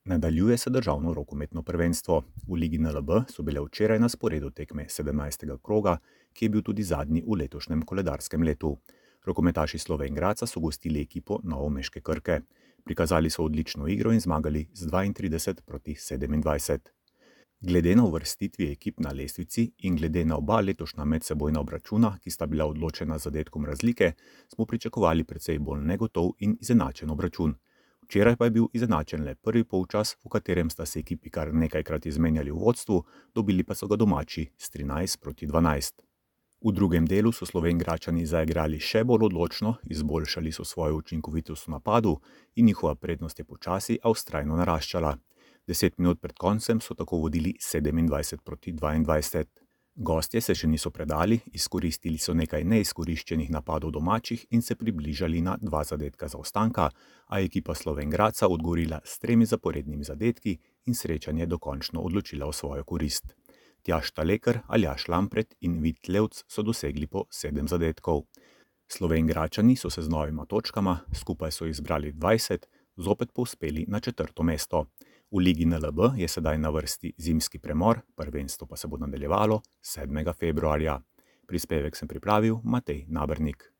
Nadaljuje se državno rokometno prvenstvo. V Ligi NLB so bile včeraj na sporedu tekme 17. kroga, ki je bil tudi zadnji v letošnjem koledarskem letu. Rokometaši Slovenj Gradca so gostili ekipo novomeške Krke. Prikazali so odlično igro in zmagali z 32-27. Glede na uvrstitvi ekip na lestvici in glede na oba letošnja medsebojna obračuna, ki sta bila odločena z zadetkom razlike, smo pričakovali precej bolj negotov in izenačen obračun. Včeraj pa je bil izenačen le prvi polčas, v katerem sta se ekipi kar nekajkrat izmenjali v vodstvu, dobili pa so ga domači s 13-12. V drugem delu so Slovenjgradčani zaigrali še bolj odločno, izboljšali so svojo učinkovitost v napadu in njihova prednost je počasi, a vztrajno naraščala. 10 minut pred koncem so tako vodili 27-22. Gostje se še niso predali, izkoristili so nekaj neizkoriščenih napadov domačih in se približali na 2 zadetka zaostanka, a je ekipa Slovenj Gradca odgovorila s 3 zaporednimi zadetki in srečanje dokončno odločila v svojo korist. Tjaž Talekar, Aljaž Lampret in Vid Levc so dosegli po 7 zadetkov. Slovenjgradčani so se z novima točkama, skupaj so izbrali 20, zopet povzpeli na 4. mesto. V Ligi NLB je sedaj na vrsti zimski premor, prvenstvo pa se bo nadaljevalo 7. februarja. Prispevek sem pripravil Matej Nabernik.